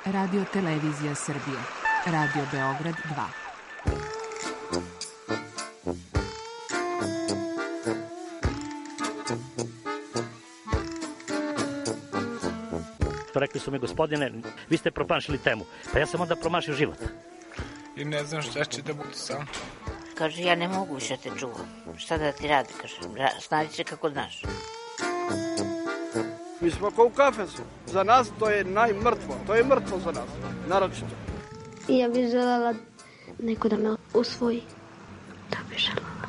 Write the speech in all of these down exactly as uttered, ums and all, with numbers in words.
Radio Televizija Srbije. Radio Beograd dva. Rekli su mi, gospodine, vi ste promašili temu. Pa ja sam onda promašio život. I ne znam šta će da bude sam. Kaže, ja ne mogu više te čuvam. Šta da ti radi, kaže, snađi se kako znaš. Mi smo kao u kafesu. Za nas to je najmrtvo. To je mrtvo za nas, naročito. I ja bih želela neko da me usvoji. Da bih želela.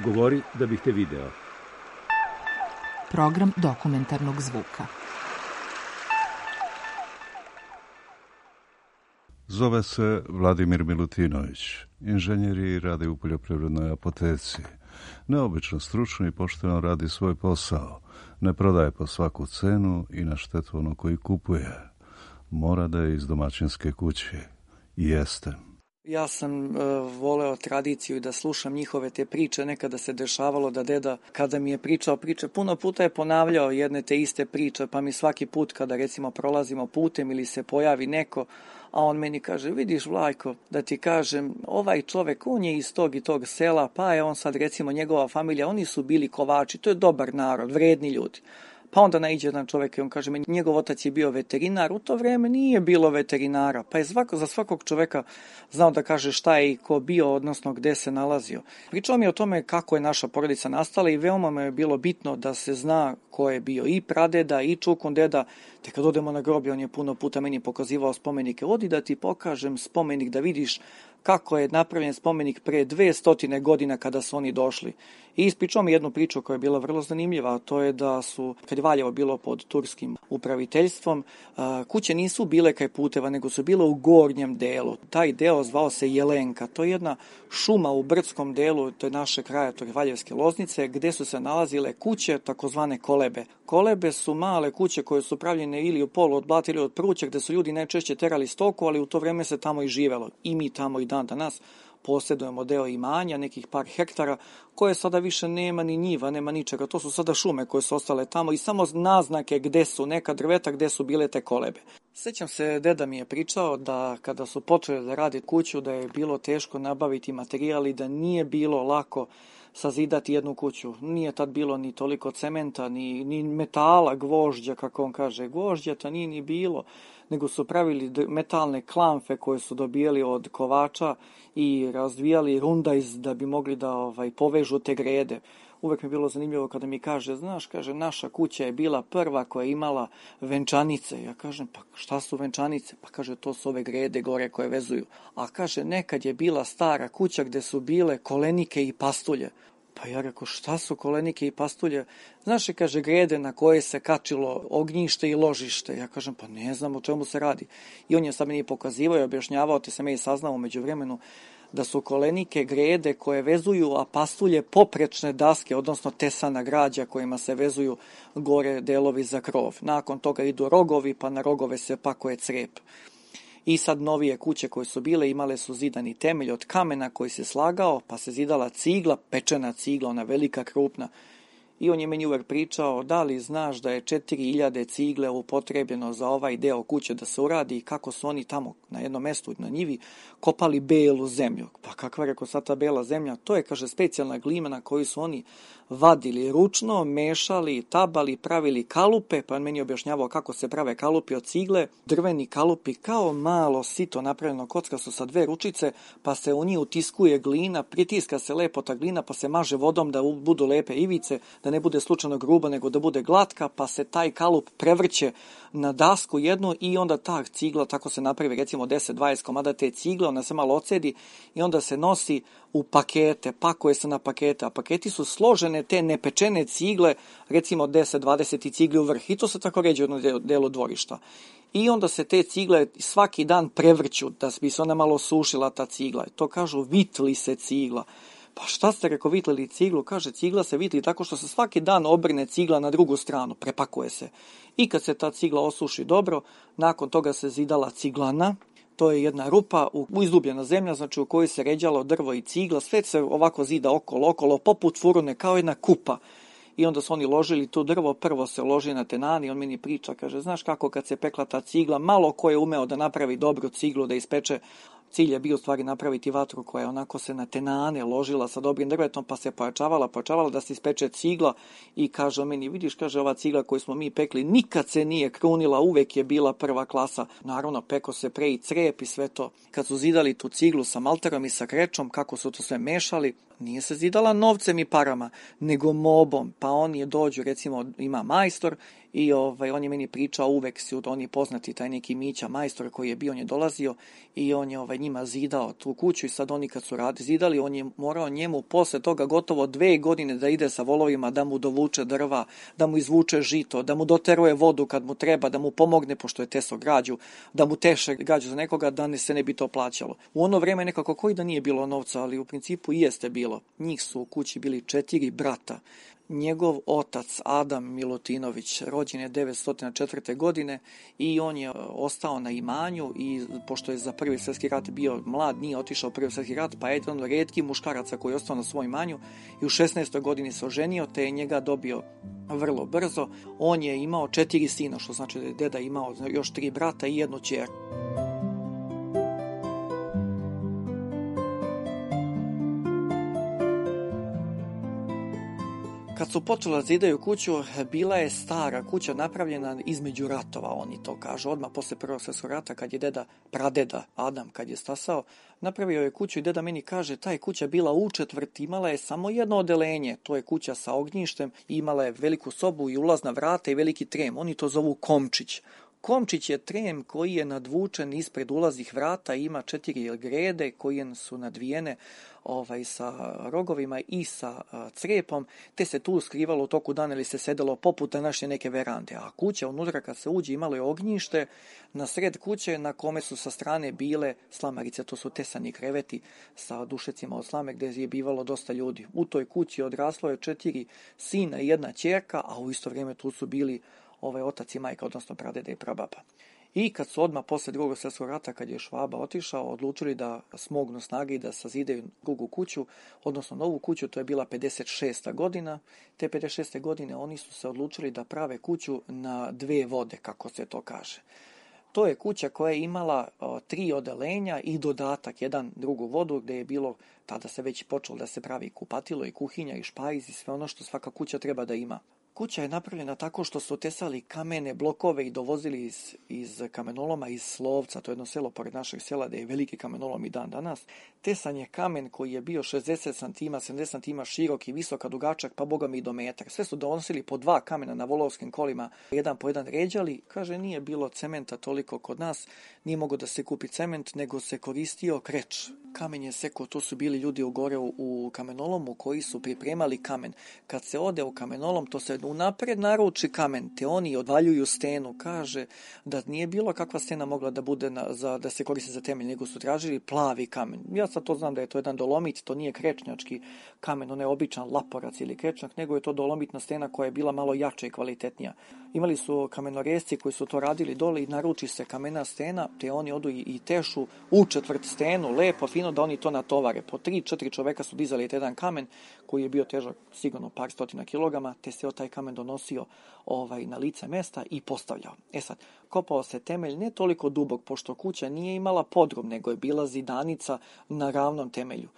Govori da bih te video. Program dokumentarnog zvuka. Zove se Vladimir Milutinović. Inženjer i radi u poljoprivrednoj apoteci. Neobično stručno i pošteno radi svoj posao. Ne prodaje po svaku cenu i na štetu ono koji kupuje. Mora da je iz domaćinske kuće. I jeste. Ja sam e, voleo tradiciju i da slušam njihove te priče. Nekada se dešavalo da deda, kada mi je pričao priče, puno puta je ponavljao jedne te iste priče, pa mi svaki put kada recimo prolazimo putem ili se pojavi neko, a on meni kaže, vidiš Vlajko, da ti kažem, ovaj čovek, on je iz tog i tog sela, pa je on sad recimo njegova familija, oni su bili kovači, to je dobar narod, vredni ljudi. Pa onda naiđe jedan čovjek i on kaže, njegov otac je bio veterinar, u to vreme nije bilo veterinara, pa je svako, za svakog čovjeka znao da kaže šta je i ko bio, odnosno gde se nalazio. Pričao mi o tome kako je naša porodica nastala i veoma me je bilo bitno da se zna ko je bio i pradeda i čukun deda, te kad odemo na groblje, on je puno puta meni pokazivao spomenike, odi da ti pokažem spomenik da vidiš kako je napravljen spomenik pre dve stotine godina kada su oni došli. I ispričao mi jednu priču koja je bila vrlo zanimljiva, a to je da su, kad je Valjevo bilo pod turskim upraviteljstvom, kuće nisu bile kraj puteva, nego su bile u gornjem delu. Taj deo zvao se Jelenka, to je jedna šuma u brdskom delu, to je naše kraja, to je Valjevske Loznice, gde su se nalazile kuće, takozvane kolebe. Kolebe su male kuće koje su pravljene ili u polu od blata ili od pruća, gde su ljudi najčešće terali stoku, ali u to vreme se tamo i živelo. I mi tamo i dan danas posjedujemo deo imanja, nekih par hektara, koje sada više nema ni njiva, nema ničega. To su sada šume koje su ostale tamo i samo naznake gde su neka drveta, gde su bile te kolebe. Sjećam se, deda mi je pričao da kada su počeli da radi kuću, da je bilo teško nabaviti materijal i da nije bilo lako sazidati jednu kuću. Nije tad bilo ni toliko cementa, ni, ni metala, gvožđa, kako on kaže. Gvožđa to nije ni bilo, nego su pravili metalne klamfe koje su dobijali od kovača i razvijali rundajz da bi mogli da ovaj, povežu te grede. Uvek mi je bilo zanimljivo kada mi kaže, znaš, kaže, naša kuća je bila prva koja je imala venčanice. Ja kažem, pa šta su venčanice? Pa kaže, to su ove grede gore koje vezuju. A kaže, nekad je bila stara kuća gde su bile kolenike i pastulje. Pa ja rekao, šta su kolenike i pastulje? Znaš, je, kaže, grede na koje se kačilo ognjište i ložište. Ja kažem, pa ne znam o čemu se radi. I on je sad meni pokazivao i objašnjavao, te sam ja i saznao umeđu vremenu, da su kolenike grede koje vezuju, a pastulje poprečne daske, odnosno tesana građa kojima se vezuju gore delovi za krov. Nakon toga idu rogovi, pa na rogove se pakuje crep. I sad novije kuće koje su bile imale su zidani temelj od kamena koji se slagao, pa se zidala cigla, pečena cigla, ona velika, krupna. I on je meni uvek pričao, da li znaš da je četiri hiljade cigle upotrebljeno za ovaj deo kuće da se uradi i kako su oni tamo na jednom mestu na njivi kopali belu zemlju. Pa kakva je, rekao, sad ta bela zemlja? To je, kaže, specijalna glina na koju su oni vadili ručno, mešali, tabali, pravili kalupe, pa on meni objašnjavao kako se prave kalupi od cigle, drveni kalupi kao malo sito napravljeno kocka su sa dve ručice, pa se u njih utiskuje glina, pritiska se lepo ta glina, pa se maže vodom da budu lepe ivice, da ne bude slučajno gruba, nego da bude glatka, pa se taj kalup prevrće na dasku jednu i onda ta cigla, tako se napravi recimo deset dvadeset komada te cigle, ona se malo ocedi i onda se nosi u pakete, pakuje se na pakete, a paketi su složene te nepečene cigle, recimo deset dvadeset cigle u vrh, i to se tako ređe u jednom delu dvorišta. I onda se te cigle svaki dan prevrću, da bi se ona malo sušila ta cigla. To kažu, vitli se cigla. Pa šta ste, rekao, vitlili ciglu? Kaže, cigla se vitli tako što se svaki dan obrne cigla na drugu stranu, prepakuje se. I kad se ta cigla osuši dobro, nakon toga se zidala ciglana. To je jedna rupa, izdubljena zemlja, znači u kojoj se ređalo drvo i cigla, sve se ovako zida okolo, okolo, poput furune, kao jedna kupa. i onda su oni ložili tu drvo, prvo se loži na tenani, on meni priča, kaže, znaš kako kad se pekla ta cigla, malo ko je umeo da napravi dobru ciglu, da ispeče. Cilj je bio u stvari napraviti vatru koja je onako se na tenane ložila sa dobrim drvetom, pa se pojačavala, pojačavala da se ispeče cigla i kaže meni, vidiš, kaže, ova cigla koju smo mi pekli nikad se nije krunila, uvek je bila prva klasa. Naravno, peko se pre i crep i sve to. Kad su zidali tu ciglu sa malterom i sa krečom, kako su to sve mešali, nije se zidala novcem i parama, nego mobom. Pa on je dođu, recimo, ima majstor i ovaj, on je meni pričao, uvek su oni poznati, taj neki Mića majstor koji je bio, on je dolazio i on je ovaj, njima zidao tu kuću i sad oni kad su radi, zidali, on je morao njemu posle toga gotovo dve godine da ide sa volovima, da mu dovuče drva, da mu izvuče žito, da mu doteruje vodu kad mu treba, da mu pomogne, pošto je teso građu, da mu teše građu za nekoga, da ne se ne bi to plaćalo. U ono vreme nekako koji da nije bilo novca, ali u principu i jeste bilo. Njih su u kući bili četiri brata. Njegov otac Adam Milutinović rođen je devetsto četvrte. godine i on je ostao na imanju i pošto je za prvi svjetski rat bio mlad, nije otišao u prvi svjetski rat, pa je jedan od retkih muškaraca koji je ostao na svom imanju i u šesnaestoj godini se oženio, te je njega dobio vrlo brzo. On je imao četiri sina, što znači da je deda imao još tri brata i jednu ćerku. Kad su počeli da zidaju kuću, bila je stara kuća napravljena između ratova, oni to kažu. Odmah posle prvog svjetskog rata, kad je deda, pradeda Adam, kad je stasao, napravio je kuću i deda meni kaže, ta je kuća bila u četvrt, imala je samo jedno odelenje, to je kuća sa ognjištem, imala je veliku sobu i ulazna vrata i veliki trem, oni to zovu komčić. Komčić je trem koji je nadvučen ispred ulaznih vrata, ima četiri grede koje su nadvijene ovaj, sa rogovima i sa a, crepom, te se tu skrivalo u toku dana ili se sedelo poput današnje neke verande. A kuća unutra kad se uđe imalo je ognjište na sred kuće na kome su sa strane bile slamarice, to su tesani kreveti sa dušecima od slame gdje je bivalo dosta ljudi. U toj kući odraslo je četiri sina i jedna ćerka, a u isto vrijeme tu su bili ovaj otac i majka, odnosno pradeda i prababa. I kad su odmah posle drugog svjetskog rata, kad je Švaba otišao, odlučili da smognu snage i da sazidaju drugu kuću, odnosno novu kuću, to je bila pedeset šesta. godina. Te pedeset šeste. godine oni su se odlučili da prave kuću na dve vode, kako se to kaže. To je kuća koja je imala o, tri odelenja i dodatak, jedan drugu vodu, gdje je bilo, tada se već počelo da se pravi kupatilo i kuhinja i špajz i sve ono što svaka kuća treba da ima. Kuća je napravljena tako što su tesali kamene blokove i dovozili iz, iz kamenoloma iz Slovca, to je jedno selo pored našeg sela gdje je veliki kamenolom i dan danas. Tesan je kamen koji je bio šezdeset santima, sedamdeset santima širok i visok, dugačak, pa boga mi i do metar. Sve su donosili po dva kamena na volovskim kolima, jedan po jedan ređali. Kaže, nije bilo cementa toliko kod nas, nije mogao da se kupi cement, nego se koristio kreč. Kamen je seko, to su bili ljudi u gore u, u kamenolomu koji su pripremali kamen. Kad se ode u kamenolom, to se unapred naruči kamen, te oni odvaljuju stenu. Kaže da nije bilo kakva stena mogla da bude na, za, da se koristi za temelj, nego su tražili plavi kamen. Ja sad to znam da je to jedan dolomit, to nije krečnjački kamen, on je običan laporac ili krečnjak, nego je to dolomitna stena koja je bila malo jača i kvalitetnija. Imali su kamenoresci koji su to radili dole i naruči se kamena stena, te oni odu i, i tešu u četvrt stenu, lepo, fino, da oni to natovare. Po tri, četiri čoveka su dizali jedan kamen koji je bio težak sigurno par stotina kilograma, te se taj kamen donosio ovaj, na lice mesta i postavljao. E sad, kopao se temelj ne toliko dubok, pošto kuća nije imala podrum, nego je bila zidanica na ravnom temelju.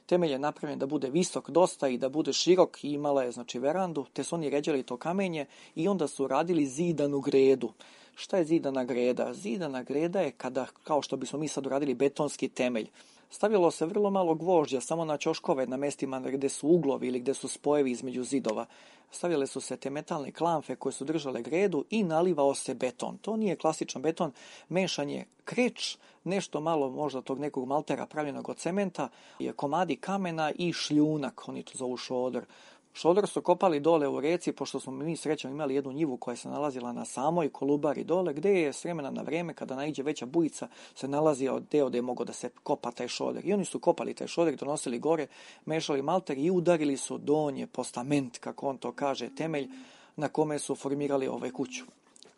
Temelj je napravljen da bude visok dosta i da bude širok i imala je znači verandu, te su oni ređali to kamenje i onda su radili zidanu gredu. Šta je zidana greda? Zidana greda je kada, kao što bismo mi sad uradili, betonski temelj. Stavilo se vrlo malo gvožđa, samo na ćoškove, na mestima gdje su uglovi ili gdje su spojevi između zidova. Stavile su se te metalne klamfe koje su držale gredu i nalivao se beton. To nije klasičan beton, mešanje kreč, nešto malo možda tog nekog maltera pravljenog od cementa, komadi kamena i šljunak, oni to zovu šodor. Šodor su kopali dole u reci, pošto smo mi srećom imali jednu njivu koja se nalazila na samoj Kolubari dole, gdje je s vremena na vrijeme, kada naiđe veća bujica, se nalazio deo gdje je mogao da se kopa taj šodor. I oni su kopali taj šodor, donosili gore, mešali malter i udarili su donje postament, kako on to kaže, temelj na kome su formirali ovaj kuću.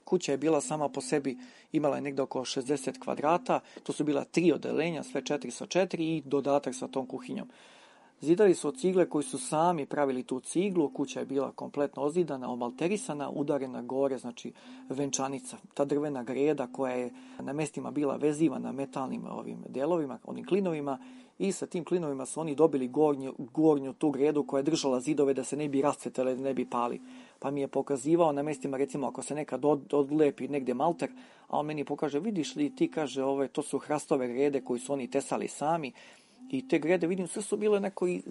Kuća je bila sama po sebi, imala je negdje oko šezdeset kvadrata, to su bila tri odelenja, sve četiri sa četiri i dodatak sa tom kuhinjom. Zidali su od cigle koji su sami pravili tu ciglu, kuća je bila kompletno ozidana, omalterisana, udarena gore, znači venčanica. Ta drvena greda koja je na mestima bila vezivana metalnim ovim delovima, onim klinovima, i sa tim klinovima su oni dobili gornju, gornju tu gredu koja je držala zidove da se ne bi rascvetale, da ne bi pali. Pa mi je pokazivao na mestima, recimo, ako se nekad od, odlepi negdje malter, a on meni pokaže, vidiš li, ti kaže, ove, to su hrastove grede koji su oni tesali sami, i te grede, vidim, sve su bile neko i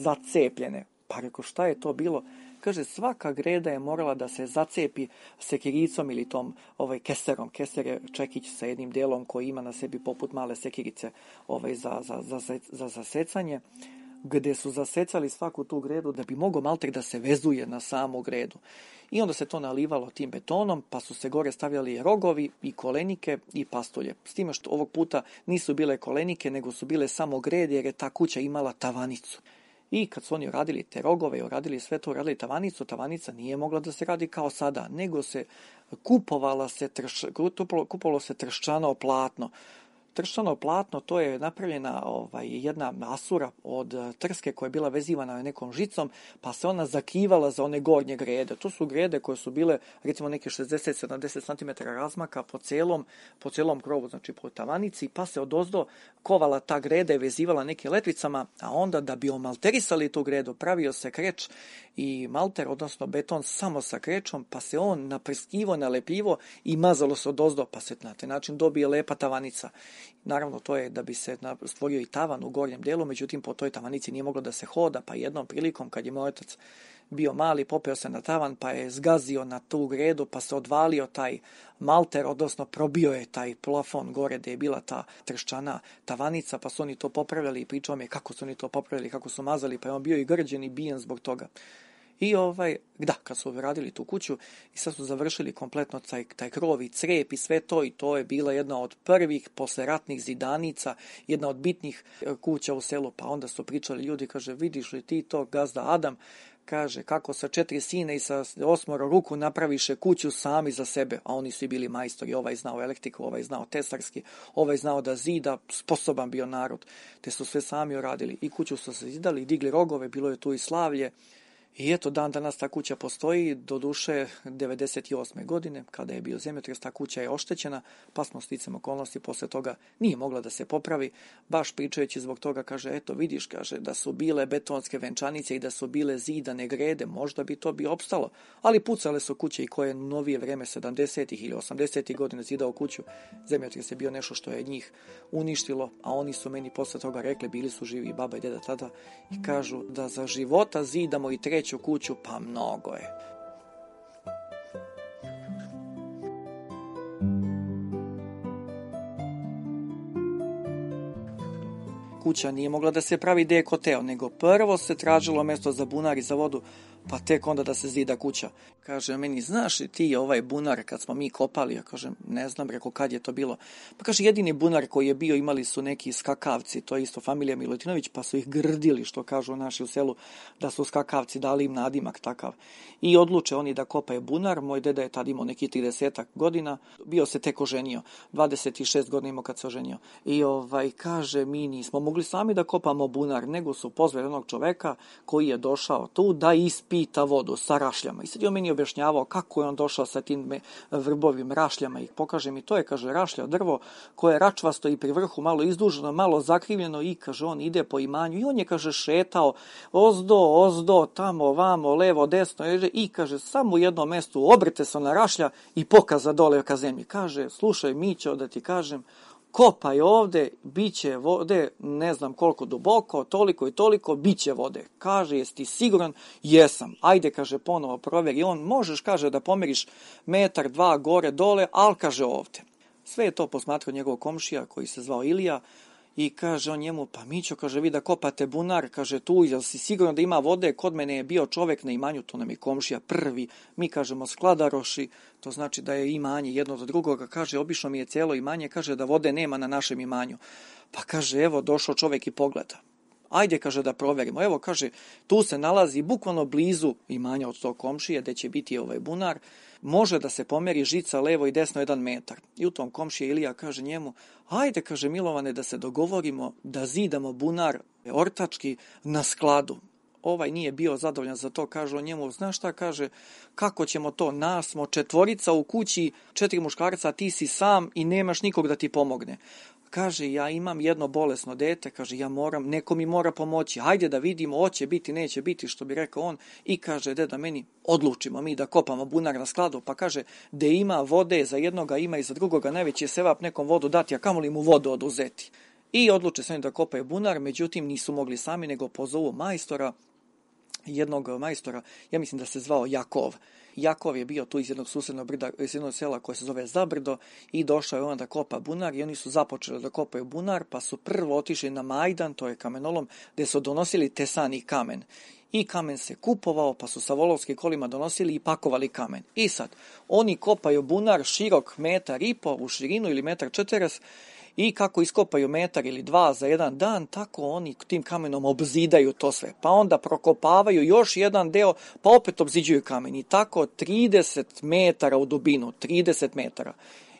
zacepljene. Pa reko, šta je to bilo? Kaže, svaka greda je morala da se zacepi sekiricom ili tom ovaj, keserom. Keser je čekić sa jednim delom koji ima na sebi poput male sekirice ovaj, za, za, za, za zasecanje, gde su zasecali svaku tu gredu da bi mogao malter da se vezuje na samu gredu. I onda se to nalivalo tim betonom, pa su se gore stavljali rogovi i kolenike i pastulje. S time što ovog puta nisu bile kolenike, nego su bile samo grede, jer je ta kuća imala tavanicu. I kad su oni radili te rogove, uradili sve to, uradili tavanicu, tavanica nije mogla da se radi kao sada, nego se kupovala se trš, kupovalo se trščano platno. Trščano platno, to je napravljena ovaj, jedna masura od trske koja je bila vezivana nekom žicom, pa se ona zakivala za one gornje grede. To su grede koje su bile, recimo, neke šezdeset do sedamdeset centimetara razmaka po celom, po celom krovu, znači po tavanici, pa se odozdo kovala ta greda i vezivala neke letvicama, a onda da bi omalterisali tu gredu, pravio se kreč i malter, odnosno beton samo sa krečom, pa se on naprskivo, nalepljivo i mazalo se odozdo, pa se na taj način dobije lepa tavanica. Naravno, to je da bi se stvorio i tavan u gornjem delu, međutim, po toj tavanici nije moglo da se hoda, pa jednom prilikom, kad je moj otac bio mali, popeo se na tavan, pa je zgazio na tu gredu, pa se odvalio taj malter, odnosno probio je taj plafon gore gde je bila ta trščana tavanica, pa su oni to popravljali i pričao mi je kako su oni to popravljali, kako su mazali, pa je on bio i grđen i bijen zbog toga. I ovaj, da, kad su radili tu kuću i sad su završili kompletno taj, taj krov i crep i sve to, i to je bila jedna od prvih posleratnih zidanica, jedna od bitnih kuća u selu, pa onda su pričali ljudi, kaže, vidiš li ti to, gazda Adam, kaže, kako sa četiri sine i sa osmoro ruku napraviše kuću sami za sebe, a oni su i bili majstori, ovaj znao elektriku, ovaj znao tesarski, ovaj znao da zida, sposoban bio narod, te su sve sami uradili i kuću su se zidali, digli rogove, bilo je tu i slavlje. I eto, dan danas ta kuća postoji, do duše devedeset osme godine, kada je bio zemljotres, ta kuća je oštećena, pa smo sticam okolnosti, posle toga nije mogla da se popravi, baš pričajući zbog toga, kaže, eto vidiš, kaže, da su bile betonske venčanice i da su bile zidane grede, možda bi to bi opstalo, ali pucale su kuće i koje novije vreme sedamdesetih ili osamdesetih godina zidao kuću, zemljotres je bio nešto što je njih uništilo, a oni su meni posle toga rekli, bili su živi baba i deda tada, i kažu da za života zidamo i treću kuću, pa mnogo je. Kuća nije mogla da se pravi gde je koteo, nego prvo se tražilo mesto za bunar i za vodu, pa tek onda da se zida kuća. Kaže meni, znaš li ti ovaj bunar kad smo mi kopali? Ja kažem, ne znam, reko, kad je to bilo? Pa kaže, jedini bunar koji je bio, imali su neki skakavci, to je isto familija Milutinović, pa su ih grdili, što kažu naši u selu, da su skakavci, dali im nadimak takav. I odluče oni da kopaju bunar, moj deda je tad imao neki tridesetak godina, bio se tek oženio, dvadeset šest godina imao kad se oženio. I ovaj, kaže, mi nismo mogli sami da kopamo bunar, nego su pozvali onog čoveka koji je došao tu da ispita vodu sa rašljama. I sad je on meni objašnjavao kako je on došao sa tim vrbovim rašljama i pokaže mi, to je, kaže, rašlja drvo koje je račvasto i pri vrhu malo izduženo, malo zakrivljeno, i kaže, on ide po imanju i on je, kaže, šetao ozdo, ozdo, tamo, vamo, levo, desno, i kaže, samo u jednom mestu obrte se na rašlja i pokaza dole ka zemlji. Kaže, slušaj, Mićo, da ti kažem, kopaj ovde, bit će vode, ne znam koliko duboko, toliko i toliko, bit će vode. Kaže, jesi ti siguran? Jesam. Ajde, kaže, ponovo proveri. On, možeš, kaže, da pomeriš metar, dva, gore, dole, ali, kaže, ovde. Sve je to posmatrao njegov komšija koji se zvao Ilija i kaže on njemu, pa Mićo, kaže, vi da kopate bunar, kaže, tu, jel si sigurno da ima vode? Kod mene je bio čovek na imanju, to nam je komšija prvi, mi kažemo skladaroši, to znači da je imanje jedno od drugoga, kaže, obično mi je celo imanje, kaže da vode nema na našem imanju. Pa kaže, evo, došao čovek i pogleda. Ajde, kaže, da proverimo. Evo, kaže, tu se nalazi bukvalno blizu imanja od tog komšije, gde će biti ovaj bunar, može da se pomeri žica levo i desno jedan metar. I u tom komšije Ilija kaže njemu, ajde, kaže, Milovane, da se dogovorimo da zidamo bunar ortački na skladu. Ovaj nije bio zadovoljan za to, kaže on njemu, znaš šta, kaže, kako ćemo to, nas smo četvorica u kući, četiri muškarca, ti si sam i nemaš nikog da ti pomogne. Kaže, ja imam jedno bolesno dete, kaže, ja moram, neko mi mora pomoći, hajde da vidimo, hoće biti, neće biti, što bi rekao on, i kaže, deda, meni odlučimo mi da kopamo bunar na skladu, pa kaže, da ima vode za jednoga, ima i za drugoga, najveći je sevap nekom vodu dati, a kamoli mu vodu oduzeti. I odluče se oni da kopaju bunar, međutim nisu mogli sami, nego pozovu majstora, jednog majstora, ja mislim da se zvao Jakov. Jakov je bio tu iz jednog susednog brda, iz jednog sela koje se zove Zabrdo i došao je on da kopa bunar i oni su započeli da kopaju bunar, pa su prvo otišli na Majdan, to je kamenolom, gdje su donosili tesani kamen. I kamen se kupovao, pa su sa volovskim kolima donosili i pakovali kamen. I sad, oni kopaju bunar širok metar i po u širinu ili metar četeres, i kako iskopaju metar ili dva za jedan dan, tako oni tim kamenom obzidaju to sve. Pa onda prokopavaju još jedan deo, pa opet obziđuju kamen. I tako trideset metara u dubinu, trideset metara.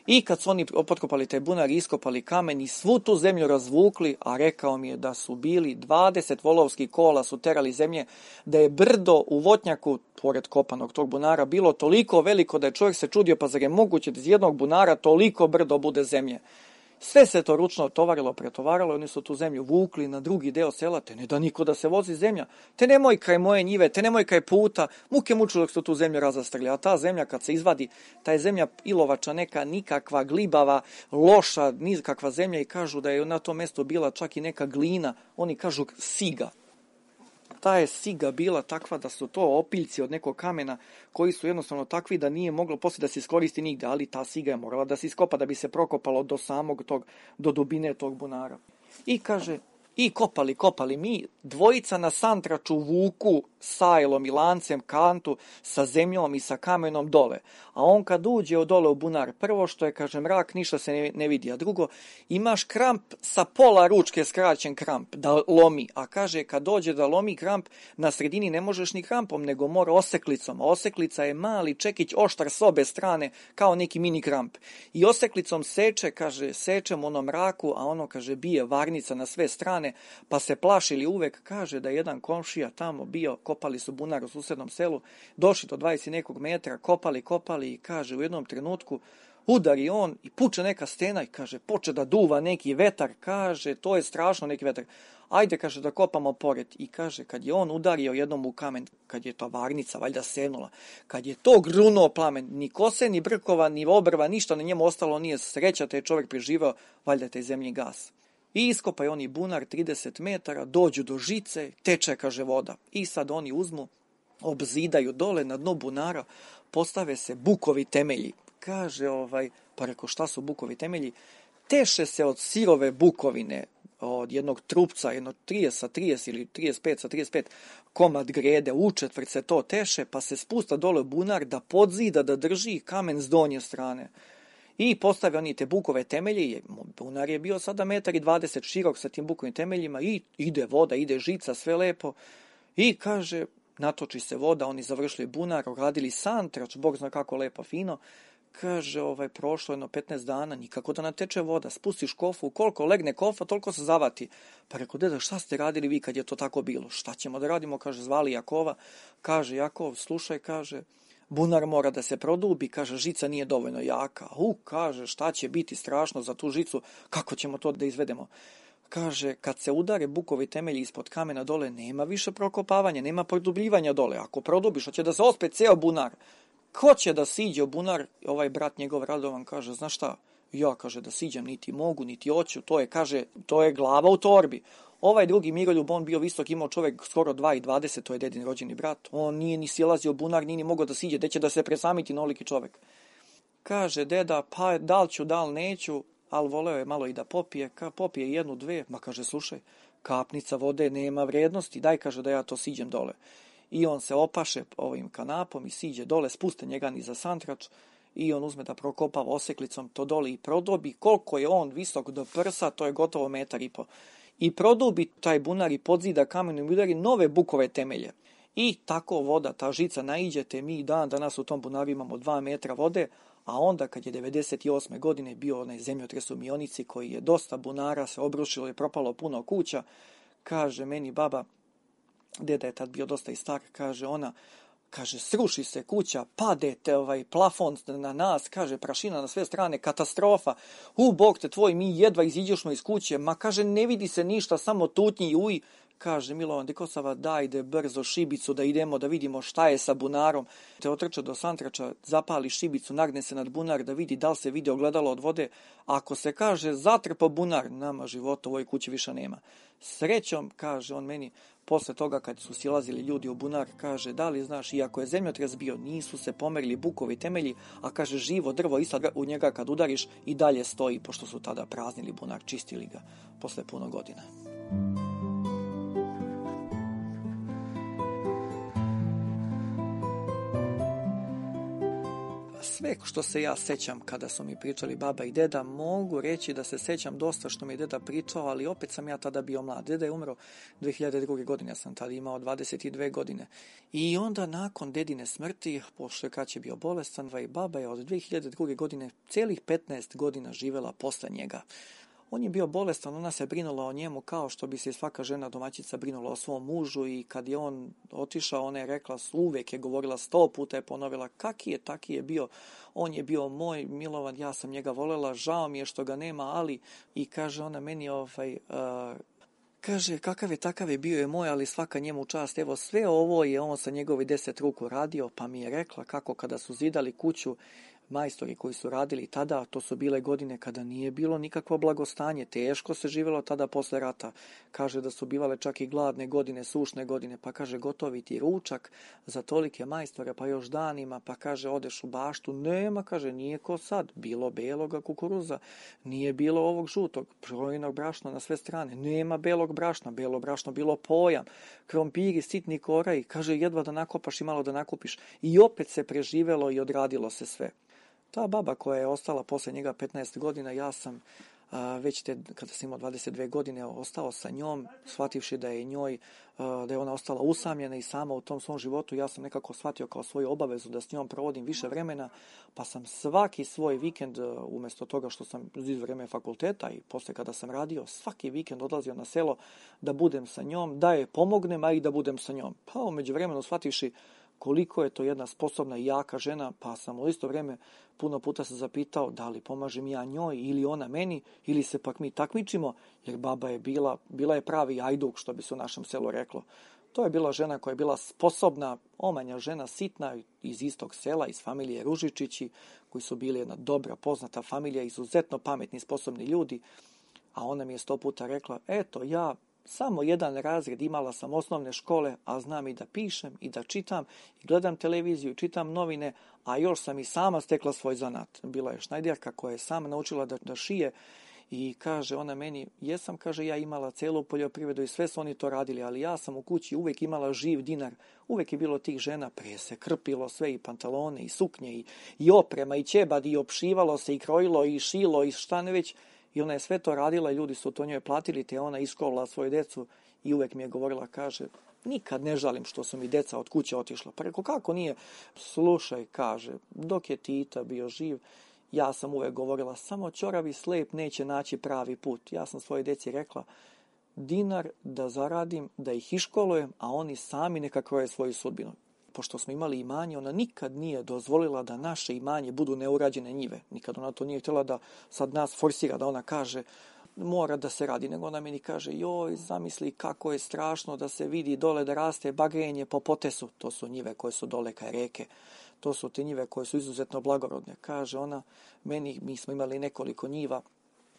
I kad su oni potkopali taj bunar i iskopali kamen i svu tu zemlju razvukli, a rekao mi je da su bili dvadeset volovskih kola su terali zemlje, da je brdo u Votnjaku, pored kopanog tog bunara, bilo toliko veliko da je čovjek se čudio, pa zar je moguće da iz jednog bunara toliko brdo bude zemlje. Sve se to ručno tovarilo, pretovaralo, oni su tu zemlju vukli na drugi deo sela, te ne da niko da se vozi zemlja, te nemoj kraj moje njive, te nemoj kraj puta, muke muču dok su tu zemlju razastrli, a ta zemlja kad se izvadi, ta je zemlja ilovača neka, nikakva, glibava, loša, nikakva zemlja i kažu da je na tom mjestu bila čak i neka glina, oni kažu siga. Ta je siga bila takva da su to opiljci od nekog kamena koji su jednostavno takvi da nije moglo poslije da se iskoristi nigde, ali ta siga je morala da se iskopa da bi se prokopalo do samog tog, do dubine tog bunara. I kaže, i kopali, kopali mi, dvojica na santraču vuku sajlom i lancem kantu sa zemljom i sa kamenom dole. A on kad uđe od dole u bunar, prvo što je, kaže, mrak, ništa se ne, ne vidi. A drugo, imaš kramp sa pola ručke skraćen kramp, da lomi. A kaže, kad dođe da lomi kramp, na sredini ne možeš ni krampom, nego mora oseklicom. A oseklica je mali čekić oštar s obe strane, kao neki mini kramp. I oseklicom seče, kaže, sečem ono mraku, a ono, kaže, bije varnica na sve strane, pa se plašili uvek, kaže, da jedan komšija tamo bio, kopali su bunar u susednom selu, došli do dvadeset nekog metra, kopali, kopali i kaže, u jednom trenutku udari on i puče neka stena i kaže, poče da duva neki vetar, kaže, to je strašno neki vetar. Ajde, kaže, da kopamo pored. I kaže, kad je on udario jednom u kamen, kad je ta varnica valjda sevnula, kad je to grunuo plamen, ni kose, ni brkova, ni obrva, ništa na njemu ostalo nije, sreća, te je čovjek preživao, valjda te zemlji gas. I iskopaju oni bunar trideset metara, dođu do žice, teče, kaže, voda. I sad oni uzmu, obzidaju dole na dnu bunara, postave se bukovi temelji. Kaže, ovaj, pa reko, šta su bukovi temelji? Teše se od sirove bukovine, od jednog trupca, jedno trideset sa trideset ili trideset pet sa trideset pet komad grede, u četvrt se to teše, pa se spusta dole bunar da podzida, da drži kamen s donje strane. I postave oni te bukove temelje, bunar je bio sada metar i dvadeset širok sa tim bukovim temeljima i ide voda, ide žica, sve lepo. I kaže, natoči se voda, oni završili bunar, radili santrač, Bog zna kako lepo, fino. Kaže, ovaj, prošlo jedno petnaest dana, nikako da nateče voda, spustiš kofu, koliko legne kofa, toliko se zavati. Pa reko, deda, šta ste radili vi kad je to tako bilo? Šta ćemo da radimo, kaže, zvali Jakova. Kaže, Jakov, slušaj, kaže, bunar mora da se produbi, kaže, žica nije dovoljno jaka. U, kaže, šta će biti strašno za tu žicu, kako ćemo to da izvedemo? Kaže, kad se udare bukovi temelji ispod kamena dole, nema više prokopavanja, nema produbljivanja dole. Ako produbiš, hoće da se ospe ceo bunar. Ko će da siđe u bunar? Ovaj brat njegov Radovan kaže, znaš šta, ja, kaže, da siđem, niti mogu, niti hoću, to je, kaže, to je glava u torbi. Ovaj drugi Miroljub, on bio visok, imao čovjek skoro dva i dvadeset, to je dedin rođeni brat. On nije ni silazio u bunar, nije ni mogao da siđe, gde će da se presamiti noliki čovjek. Kaže, deda, pa da li ću, da li neću, ali voleo je malo i da popije, ka popije jednu, dve, ma kaže, slušaj, kapnica vode nema vrednosti, daj, kaže, da ja to siđem dole. I on se opaše ovim kanapom i siđe dole, spuste njega ni za santrač i on uzme da prokopava oseklicom to dole i prodobi. Koliko je on visok do prsa, to je gotovo metar i po. i produbi taj bunar i podzida kamenom i udari nove bukove temelje. I tako voda, ta žica naiđete, mi dan danas u tom bunaru imamo dva metra vode, a onda kad je devedeset osme godine bio onaj zemljotres u Mionici koji je dosta bunara se obrušilo i propalo puno kuća, kaže meni baba, deda je tad bio dosta i star, kaže ona, kaže, sruši se kuća, padete ovaj plafon na nas, kaže, prašina na sve strane, katastrofa, u bog te tvoj, mi jedva iziđemo iz kuće, ma kaže, ne vidi se ništa, samo tutnji i uj, kaže Milovan Dekosava, dajde brzo šibicu da idemo da vidimo šta je sa bunarom, te otrče do santrača, zapali šibicu, nagne se nad bunar da vidi da li se vidi ogledalo od vode, ako se kaže zatrpo bunar, nama života u ovoj kući više nema. Srećom, kaže on meni, posle toga kad su silazili ljudi u bunar, kaže, da li znaš, iako je zemljotres bio, nisu se pomerili bukovi temelji, a kaže, živo drvo i sad u njega kad udariš i dalje stoji, pošto su tada praznili bunar, čistili ga posle puno godina. Sve što se ja sećam kada su mi pričali baba i deda, mogu reći da se sećam dosta što mi je deda pričao, ali opet sam ja tada bio mlad. Deda je umro dve hiljade druge. godine, ja sam tada imao dvadeset dve godine. I onda nakon dedine smrti, pošto je kad je bio bolestan, i baba je od dve hiljade druge. godine celih petnaest godina živela posle njega. On je bio bolestan, ona se brinula o njemu kao što bi se svaka žena domaćica brinula o svom mužu i kad je on otišao, ona je rekla, uvek je govorila, sto puta je ponovila, kaki je, taki je bio, on je bio moj Milovan, ja sam njega volela, žao mi je što ga nema, ali, i kaže ona meni, ovaj, uh, kaže, kakav je, takav je, bio je moj, ali svaka njemu čast, evo sve ovo je on sa njegovi deset ruku radio, pa mi je rekla kako kada su zidali kuću, majstori koji su radili tada, to su bile godine kada nije bilo nikakvo blagostanje, teško se živjelo tada posle rata. Kaže da su bivale čak i gladne godine, sušne godine, pa kaže gotovi ti ručak za tolike majstore, pa još danima, pa kaže odeš u baštu, nema, kaže, nije ko sad, bilo beloga kukuruza, nije bilo ovog žutog, projinog brašna na sve strane, nema belog brašna, belo brašno bilo pojam, krompiri, sitni koraj, kaže jedva da nakopaš i malo da nakupiš i opet se preživelo i odradilo se sve. Ta baba koja je ostala posle njega petnaest godina, ja sam a, već te, kada sam imao dvadeset dve godine, ostao sa njom, shvativši da je njoj, a, da je ona ostala usamljena i sama u tom svom životu, ja sam nekako shvatio kao svoju obavezu da s njom provodim više vremena, pa sam svaki svoj vikend, umjesto toga što sam iz vreme fakulteta i posle kada sam radio, svaki vikend odlazio na selo da budem sa njom, da je pomognem, a i da budem sa njom. Pa umeđu vremenu shvativši koliko je to jedna sposobna i jaka žena, pa sam u isto vrijeme puno puta se zapitao da li pomažem ja njoj ili ona meni, ili se pak mi takmičimo, jer baba je bila, bila je pravi ajduk, što bi se u našem selu reklo. To je bila žena koja je bila sposobna, omanja žena, sitna, iz istog sela, iz familije Ružičići, koji su bili jedna dobra, poznata familija, izuzetno pametni, sposobni ljudi, a ona mi je sto puta rekla, eto, ja samo jedan razred imala sam osnovne škole, a znam i da pišem i da čitam i gledam televiziju, čitam novine, a još sam i sama stekla svoj zanat. Bila je šnajderka koja je sama naučila da, da šije i kaže ona meni, jesam, kaže, ja imala celu poljoprivredu i sve su oni to radili, ali ja sam u kući uvek imala živ dinar, uvek je bilo tih žena, prije se krpilo sve i pantalone i suknje i, i oprema i ćebad i opšivalo se i krojilo i šilo i šta ne već. I ona je sve to radila i ljudi su to njoj platili, te ona iskovala svoju decu i uvek mi je govorila, kaže, nikad ne žalim što su mi deca od kuće otišla. Pa rekao, kako nije? Slušaj, kaže, dok je Tita bio živ, ja sam uvek govorila, samo ćoravi slep neće naći pravi put. Ja sam svoje deci rekla, dinar da zaradim, da ih iškolujem, a oni sami neka kroje svoju sudbinu. Pošto smo imali imanje, ona nikad nije dozvolila da naše imanje budu neurađene njive. Nikad ona to nije htjela da sad nas forsira, da ona kaže mora da se radi. Nego ona meni kaže, joj, zamisli kako je strašno da se vidi dole da raste bagrenje po potesu. To su njive koje su dole kaj reke. To su te njive koje su izuzetno blagorodne. Kaže ona, meni, mi smo imali nekoliko njiva.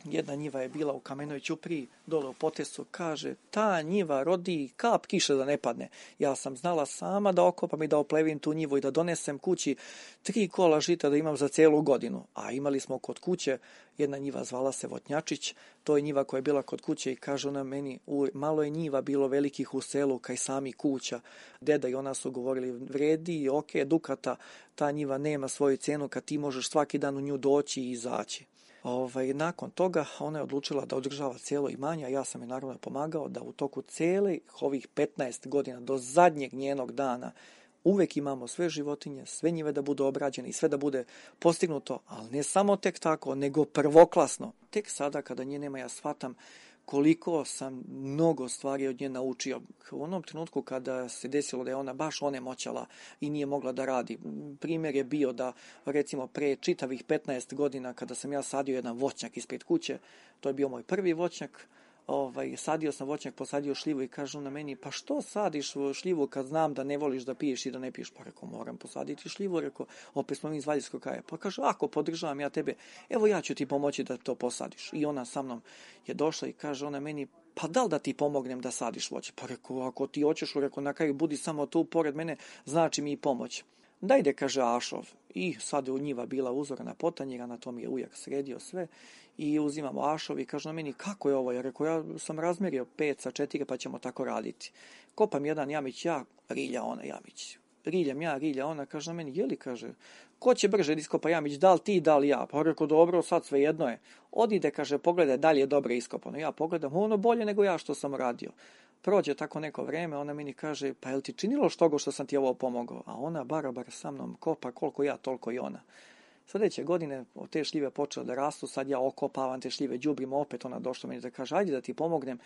Jedna njiva je bila u Kamenoj ćupriji, dole u potesu, kaže, ta njiva rodi kap kiše da ne padne. Ja sam znala sama da okopam i da oplevim tu njivu i da donesem kući tri kola žita da imam za celu godinu. A imali smo kod kuće, jedna njiva zvala se Votnjačić, to je njiva koja je bila kod kuće i kaže ona meni, u, malo je njiva bilo velikih u selu, kaj sami kuća. Deda i ona su govorili, vredi, ok, dukata, ta njiva nema svoju cenu kad ti možeš svaki dan u nju doći i izaći. Ovaj, nakon toga ona je odlučila da održava cijelo imanje, a ja sam je naravno pomagao da u toku cijele ovih petnaest godina do zadnjeg njenog dana uvek imamo sve životinje, sve njive da budu obrađene i sve da bude postignuto, ali ne samo tek tako, nego prvoklasno. Tek sada kada nje nema ja shvatam koliko sam mnogo stvari od nje naučio. U onom trenutku kada se desilo da je ona baš onemoćala i nije mogla da radi. Primjer je bio da recimo pre čitavih petnaest godina kada sam ja sadio jedan voćnjak ispred kuće, to je bio moj prvi voćnjak, Ovaj, sadio sam voćnjak, posadio šljivu i kaže na meni, pa što sadiš šljivu kad znam da ne voliš da piješ i da ne piješ? Pa rekao, moram posaditi šljivu, rekao, opet smo mi iz Valjevskog kraja. Pa kaže, ako podržavam ja tebe, evo ja ću ti pomoći da to posadiš. I ona sa mnom je došla i kaže ona meni, pa da li da ti pomognem da sadiš voće? Pa rekao, ako ti hoćeš, rekao, na kraju budi samo tu pored mene, znači mi i pomoć. Dajde, kaže Ašov. I sad je u njiva bila uzorana potanjira, na tom je ujak sredio sve i uzimamo Ašov i kaže na meni, kako je ovo? Ja rekao, ja sam razmerio pet sa četiri pa ćemo tako raditi. Kopam jedan jamić ja, rilja ona jamić. Riljam ja, rilja ona, kaže na meni, jeli, kaže, ko će brže da iskopa jamić, da li ti, da li ja? Pa rekao, dobro, sad sve jedno je. Odide, kaže, pogledaj, da li je dobro iskopano. Ja pogledam, ono bolje nego ja što sam radio. Prođe tako neko vreme, ona meni kaže, pa jel ti činilo što što sam ti ovo pomogao? A ona barabar sa mnom kopa, koliko ja, toliko i ona. Sljedeće godine te šljive počele da rastu, sad ja okopavam te šljive, đubrim, opet ona došla meni da kaže, ajde da ti pomognem,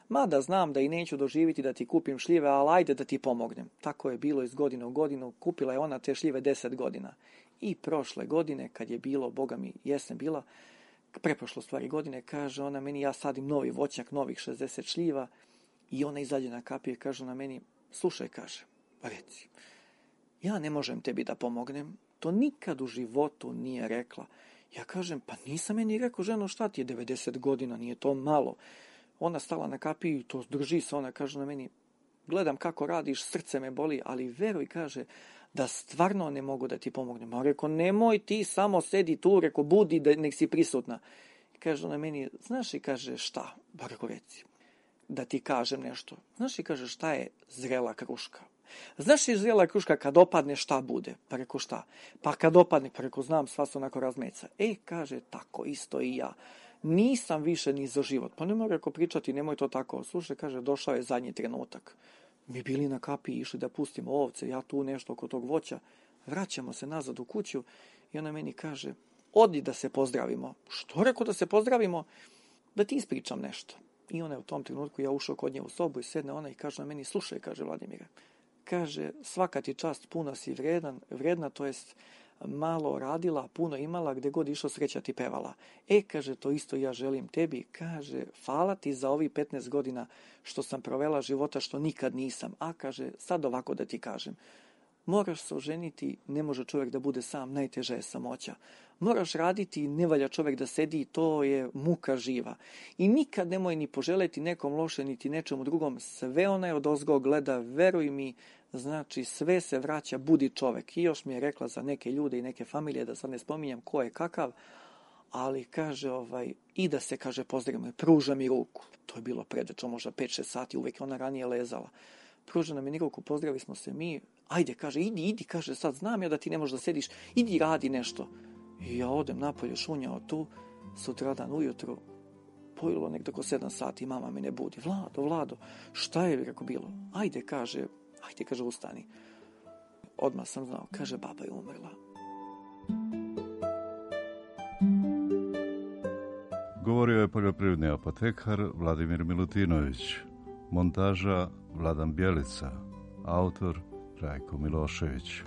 mada znam da i neću doživiti da ti kupim šljive, ali ajde da ti pomognem. Tako je bilo iz godine u godinu, kupila je ona te šljive deset godina. I prošle godine, kad je bilo, boga mi, jesen bila, preprošlo stvari godine, kaže ona meni, ja sadim novi voćnjak, novih šezdeset šljiva, i ona izađe na kapiju i kaže na meni, slušaj, kaže, reci, ja ne možem tebi da pomognem, to nikad u životu nije rekla. Ja kažem, pa nisam meni rekao, ženo, šta ti je devedeset godina, nije to malo. Ona stala na kapiju i to drži se, ona kaže na meni, gledam kako radiš, srce me boli, ali veruj, kaže, da stvarno ne mogu da ti pomognem. A rekao, nemoj ti samo sedi tu, rekao, budi, da nek si prisutna. I kaže na meni, znaš i kaže, šta? Ba rekao, reci, da ti kažem nešto. Znaš i kaže, šta je zrela kruška? Znaš i zrela kruška kad opadne šta bude? Pa rekao, šta? Pa kad opadne, pa rekao, znam, sva se onako razmeca. E, kaže, tako isto i ja. Nisam više ni za život. Pa nemoj, rekao, pričati, nemoj to tako. Slušaj, kaže, došao je zadnji trenutak. Mi bili na kapiji, išli da pustimo ovce, ja tu nešto oko tog voća. Vraćamo se nazad u kuću i ona meni kaže, odi da se pozdravimo. Što, rekao, da se pozdravimo? Da ti ispričam nešto. I ona je u tom trenutku, ja ušao kod nje u sobu i sedne ona i kaže na meni, slušaj, kaže Vladimire, kaže, svaka ti čast, puno si vredan, vredna, to jest malo radila, puno imala, gde god išao sreća ti pevala. E, kaže, to isto ja želim tebi, kaže, hvala ti za ovih petnaest godina što sam provela života što nikad nisam, a kaže, sad ovako da ti kažem, moraš se oženiti, ne može čovjek da bude sam, najteža je samoća. Moraš raditi, ne valja čovjek da sedi, to je muka živa. I nikad nemoj ni poželeti nekom loše, niti nečemu drugom, sve onaj od ozgo gleda, veruj mi, znači sve se vraća, budi čovjek. I još mi je rekla za neke ljude i neke familije, da sad ne spominjem ko je kakav, ali kaže, ovaj, i da se, kaže, pozdravimo, pruža mi ruku. To je bilo predečno, možda pet šest sati, uvijek ona ranije lezala. Pruža nam je ruku, pozdravili smo se mi, ajde, kaže, idi, idi, kaže, sad znam ja da ti ne možeš da sediš, idi radi nešto. I ja odem napolje, šunjao tu, sutradan ujutru, pojelo nekdo oko sedam sati, mama me ne budi. Vlado, Vlado, šta je, rekao, bilo? Ajde, kaže, ajde, kaže, ustani. Odmah sam znao, kaže, baba je umrla. Govorio je poljoprivredni apotekar Vladimir Milutinović. Montaža Vladan Bjelica. Autor Rajko Milošević.